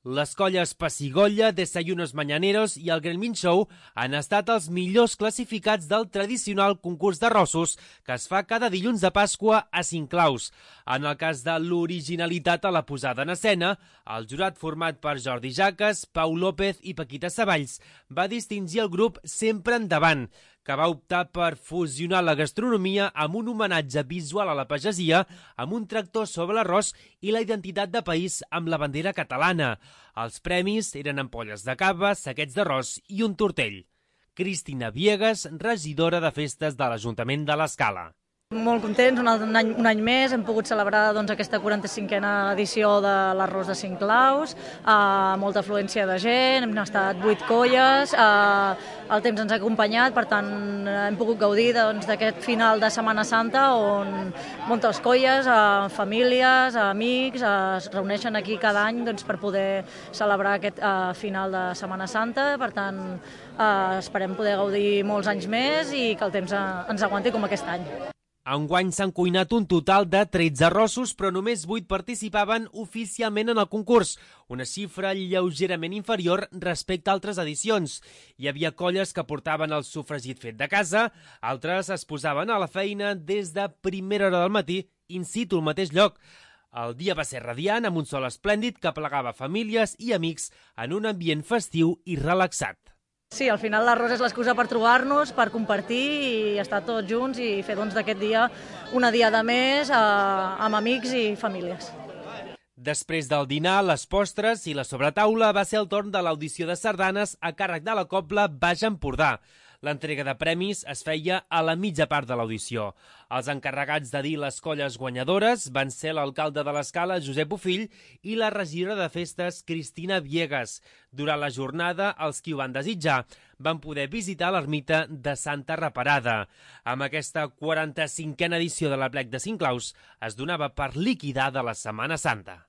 Les colles Pessigolles, Desayunos Mañaneros i el Gremlin Show han estat els millors classificats del tradicional concurs d'arrossos que es fa cada dilluns de Pasqua a Cinclaus. En el cas de l'originalitat a la posada en escena, el jurat format per Jordi Jaques, Pau López i Paquita Savalls va distingir el grup Sempre Endavant, que va optar per fusionar la gastronomia amb un homenatge visual a la pagesia, amb un tractor sobre l'arròs i la identitat de país amb la bandera catalana. Els premis eren ampolles de cava, saquets d'arròs i un tortell. Cristina Viegas, regidora de festes de l'Ajuntament de l'Escala. Molt contents, un any més, hem pogut celebrar aquesta 45a edició de l'Arròs de Cinclaus, molta afluència de gent, hem estat 8 colles, el temps ens ha acompanyat, per tant hem pogut gaudir d'aquest final de Setmana Santa on moltes colles, famílies, amics es reuneixen aquí cada any per poder celebrar aquest final de Setmana Santa, per tant esperem poder gaudir molts anys més i que el temps ens aguanti com aquest any. Enguany s'han cuinat un total de 13 arrossos, però només 8 participaven oficialment en el concurs, una xifra lleugerament inferior respecte a altres edicions. Hi havia colles que portaven el sofregit fet de casa, altres es posaven a la feina des de primera hora del matí, in situ al mateix lloc. El dia va ser radiant, amb un sol esplèndid que aplegava famílies i amics en un ambient festiu i relaxat. Sí, al final l'arròs és l'excusa per trobar-nos, per compartir i estar tots junts i fer d'aquest dia una diada més amb amics i famílies. Després del dinar, les postres i la sobretaula va ser el torn de l'audició de sardanes a càrrec de la Cobla Baix Empordà. L'entrega de premis es feia a la mitja part de l'audició. Els encarregats de dir les colles guanyadores van ser l'alcalde de l'Escala, Josep Bofill, i la regidora de festes, Cristina Viegas. Durant la jornada, els qui ho van desitjar van poder visitar l'ermita de Santa Reparada. Amb aquesta 45a edició de l'Aplec de Cinclaus es donava per liquidada la Setmana Santa.